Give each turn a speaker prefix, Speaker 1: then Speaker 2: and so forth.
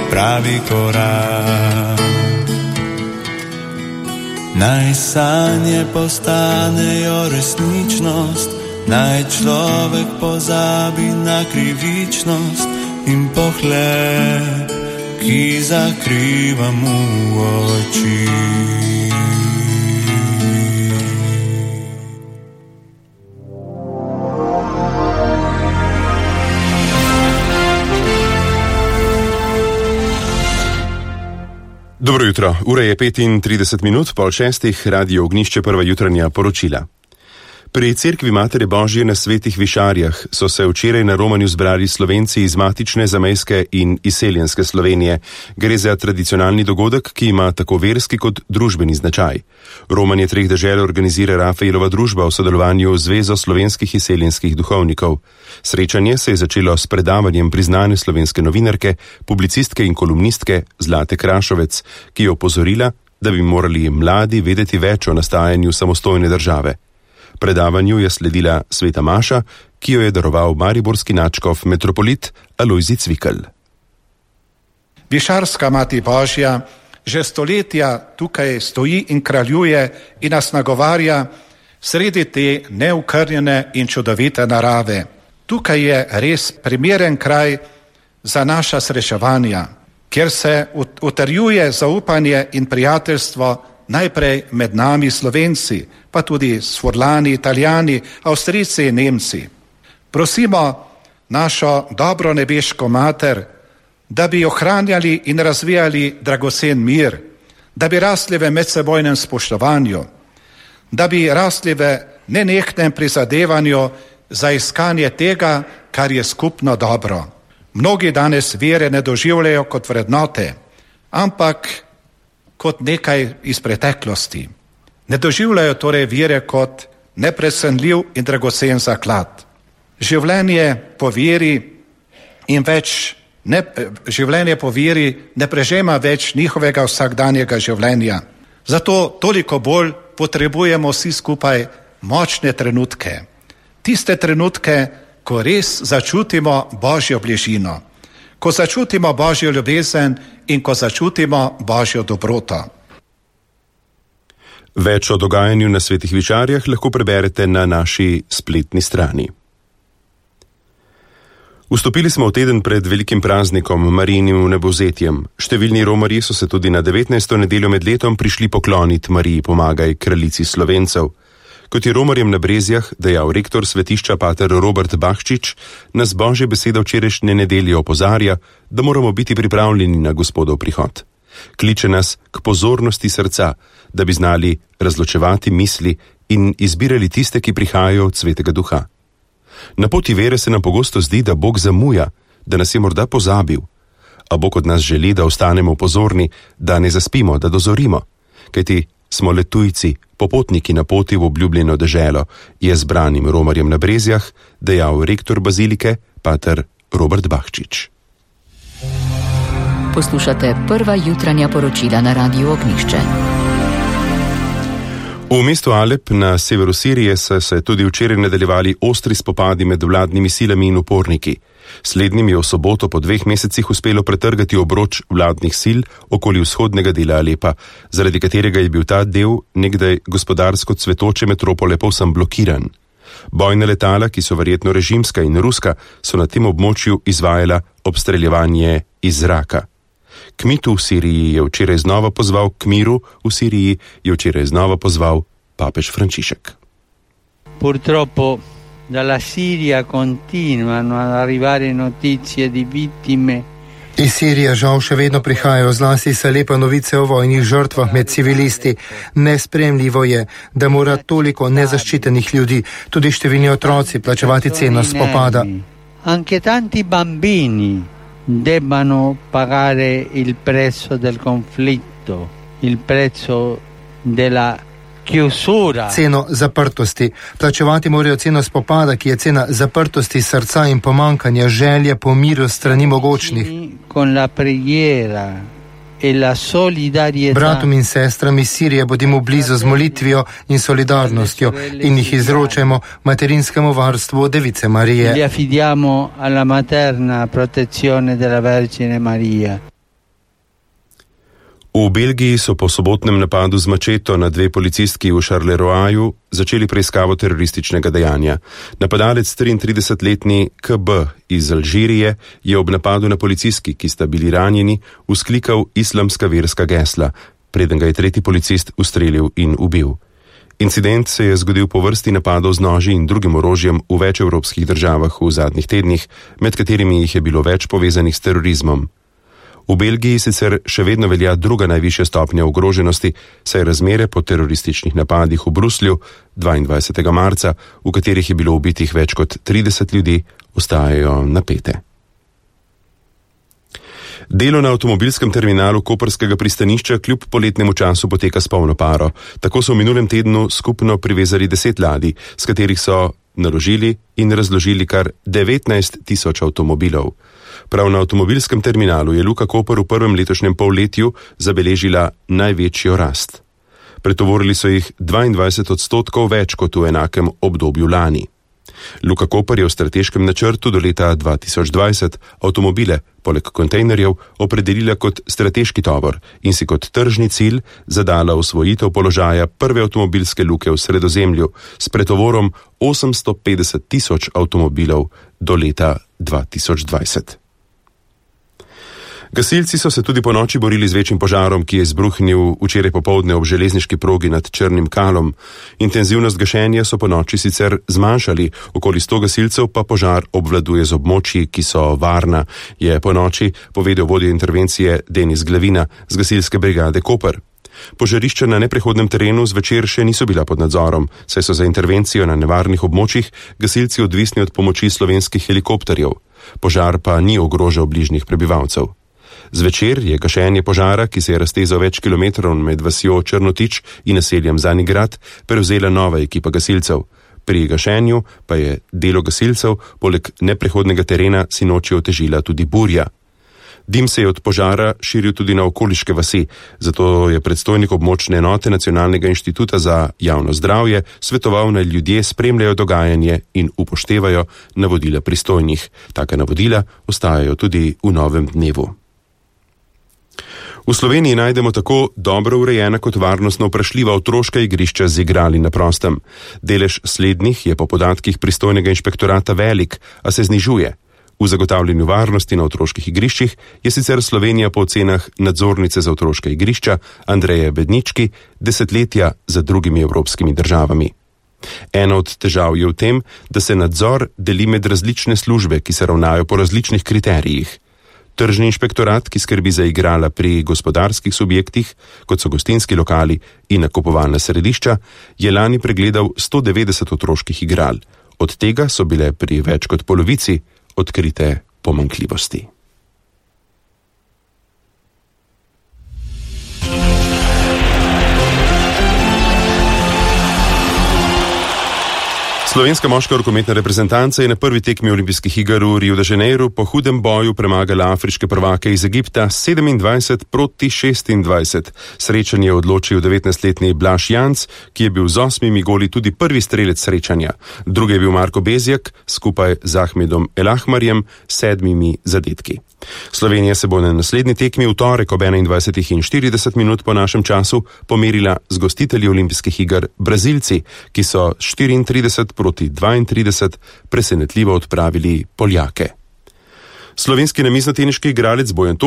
Speaker 1: pravi korak. Naj sanje postanejo resničnost, naj človek pozabi na krivičnost in pohleb, ki zakriva mu oči.
Speaker 2: Dobro jutro, ura je 35 minut, 5:30, Radio Ognjišče, prva jutranja poročila. Pri Cerkvi Matere Božje na Svetih Višarjah so se včeraj na romanju zbrali Slovenci iz matične, zamejske in izseljenske Slovenije. Gre za tradicionalni dogodek, ki ima tako verski kot družbeni značaj. Romanje treh dežel organizira Rafaelova družba v sodelovanju z Zvezo slovenskih izseljenskih duhovnikov. Srečanje se je začelo s predavanjem priznane slovenske novinarke, publicistke in kolumnistke Zlate Krašovec, ki je opozorila, da bi morali mladi vedeti več o nastajanju samostojne države. Predavanju je sledila sveta maša, ki jo je daroval mariborski nadškof metropolit Alojzij Cvikl.
Speaker 3: Višarska Mati Božja že stoletja tukaj stoji in kraljuje in nas nagovarja sredi te neokrnjene in čudovite narave. Tukaj je res primeren kraj za naša srečevanja, kjer se utrjuje zaupanje in prijateljstvo najprej med nami Slovenci, pa tudi s Furlani, Italijani, Avstrijci in Nemci. Prosimo našo dobro nebeško mater, da bi ohranjali in razvijali dragocen mir, da bi rasli v medsebojnem spoštovanju, da bi rasli v nenehnem prizadevanju za iskanje tega, kar je skupno dobro. Mnogi danes vere ne doživljajo kot vrednote, ampak kot nekaj iz preteklosti. Ne doživljajo torej vere kot neprecenljiv in dragocen zaklad. Življenje po veri ne prežema več njihovega vsakdanjega življenja. Zato toliko bolj potrebujemo vsi skupaj močne trenutke. Tiste trenutke, ko res začutimo Božjo bližino, ko začutimo Božjo ljubezen in ko začutimo Božjo dobroto.
Speaker 2: Več o dogajanju na Svetih Višarjah lahko preberete na naši spletni strani. Vstopili smo v teden pred velikim praznikom, Marijinim vnebovzetjem. Številni romarji so se tudi na 19. nedeljo med letom prišli pokloniti Mariji Pomagaj, kraljici Slovencev. Kot je romarjem na Brezjah dejal rektor svetišča pater Robert Bahčič, nas Božja beseda včerajšnje nedelje opozarja, da moramo biti pripravljeni na Gospodov prihod. Kliče nas k pozornosti srca, da bi znali razločevati misli in izbirali tiste, ki prihajajo od Svetega Duha. Na poti vere se nam pogosto zdi, da Bog zamuja, da nas je morda pozabil, a Bog od nas želi, da ostanemo pozorni, da ne zaspimo, da dozorimo, kajti smo le tujci, popotniki na poti v obljubljeno deželo, je zbranim romarjem na Brezjah dejal rektor bazilike pater Robert Bahčič.
Speaker 4: Poslušate prva jutranja poročila na Radiu Ognjišče.
Speaker 2: V mestu Alep na severu Sirije so se tudi včeraj nadaljevali ostri spopadi med vladnimi silami in uporniki. Slednjim je v soboto po 2 mesecih uspelo pretrgati obroč vladnih sil okoli vzhodnega dela Alepa, zaradi katerega je bil ta del nekdaj gospodarsko cvetoče metropole povsem blokiran. Bojna letala, ki so verjetno režimska in ruska, so na tem območju izvajala obstreljevanje iz zraka. K miru v Siriji je včeraj znova pozval papež Frančišek.
Speaker 5: Purtroppo dalla Siria continuano ad arrivare notizie di vittime.
Speaker 6: Iz Sirije žal še vedno prihajajo zlasti iz Alepa novice o vojnih žrtvah med civilisti. Nespremljivo je, da mora toliko nezaščitenih ljudi, tudi številni otroci, plačevati ceno spopada.
Speaker 5: Anche tanti bambini debbano pagare il prezzo del conflitto, il prezzo della chiusura.
Speaker 6: Ceno zaprtosti. Plačevati morajo ceno spopada, ki je cena zaprtosti srca in pomankanja želje po miru strani mogočnih.
Speaker 5: Con la preghiera
Speaker 6: Bratom in sestram iz Sirije bodimo blizu z molitvijo in solidarnostjo in jih izročajmo materinskemu varstvu Device Marije.
Speaker 5: Li affidiamo alla materna protezione della Vergine Maria.
Speaker 2: V Belgiji so po sobotnem napadu z mačeto na 2 policistki v Charleroi začeli preiskavo terorističnega dejanja. Napadalec 33-letni KB iz Alžirije je ob napadu na policistki, ki sta bili ranjeni, vzklikal islamska verska gesla, preden ga je 3. policist ustrelil in ubil. Incident se je zgodil po vrsti napadov z noži in drugim orožjem v več evropskih državah v zadnjih tednih, med katerimi jih je bilo več povezanih s terorizmom. V Belgiji sicer še vedno velja druga najvišja stopnja ogroženosti, saj razmere po terorističnih napadih v Bruslju 22. marca, v katerih je bilo ubitih več kot 30 ljudi, ostajajo napete. Delo na avtomobilskem terminalu koprskega pristanišča kljub poletnemu času poteka s polno paro. Tako so v minulem tednu skupno privezali 10 ladij, s katerih so naložili in razložili kar 19.000 avtomobilov. Prav na avtomobilskem terminalu je Luka Koper v prvem letošnjem polletju zabeležila največjo rast. Pretovorili so jih 22% več kot v enakem obdobju lani. Luka Koper je v strateškem načrtu do leta 2020 avtomobile, poleg kontejnerjev, opredelila kot strateški tovor in si kot tržni cilj zadala osvojitev položaja prve avtomobilske luke v Sredozemlju s pretovorom 850.000 avtomobilov do leta 2020. Gasilci so se tudi po noči borili z večjim požarom, ki je izbruhnil včeraj popoldne ob železniški progi nad Črnim Kalom. Intenzivnost gašenja so po noči sicer zmanjšali, okoli 100 gasilcev pa požar obvladuje z območji, ki so varna, je po noči povedal vodja intervencije Denis Glavina z gasilske brigade Koper. Požarišča na neprehodnem terenu zvečer še niso bila pod nadzorom, saj so za intervencijo na nevarnih območjih gasilci odvisni od pomoči slovenskih helikopterjev. Požar pa ni ogrožal bližnjih prebivalcev. Zvečer je gašenje požara, ki se je raztezal več kilometrov med vasjo Črnotič in naseljem Zanigrad, prevzela nova ekipa gasilcev. Pri gašenju pa je delo gasilcev poleg neprehodnega terena sinoči otežila tudi burja. Dim se je od požara širil tudi na okoliške vasi, zato je predstojnik območne enote Nacionalnega inštituta za javno zdravje svetoval, naj ljudje spremljajo dogajanje in upoštevajo navodila pristojnih. Taka navodila ostajajo tudi v novem dnevu. V Sloveniji najdemo tako dobro urejena kot varnostno vprašljiva otroška igrišča z igrali na prostem. Delež slednjih je po podatkih pristojnega inšpektorata velik, a se znižuje. V zagotavljanju varnosti na otroških igriščih je sicer Slovenija po ocenah nadzornice za otroška igrišča Andreje Bednički desetletja za drugimi evropskimi državami. Ena od težav je v tem, da se nadzor deli med različne službe, ki se ravnajo po različnih kriterijih. Tržni inšpektorat, ki skrbi za igrala pri gospodarskih subjektih, kot so gostinski lokali in nakupovalna središča, je lani pregledal 190 otroških igral. Od tega so bile pri več kot polovici odkrite pomanjkljivosti. Slovenska moška rokometna reprezentanca je na prvi tekmi olimpijskih iger v Rio de Janeiro po hudem boju premagala afriške prvake iz Egipta 27-26. Srečanje je odločil 19-letni Blaž Janc, ki je bil z 8 goli tudi prvi strelec srečanja. Drugi je bil Marko Bezjak skupaj z Ahmedom Elahmarjem 7 zadetki. Slovenija se bo na naslednji tekmi v torek ob 21:40 po našem času pomerila z gostitelji olimpijskih iger Brazilci, ki so 34-32 presenetljivo odpravili Poljake. Slovenski namiznoteniški igralec Bojan Tok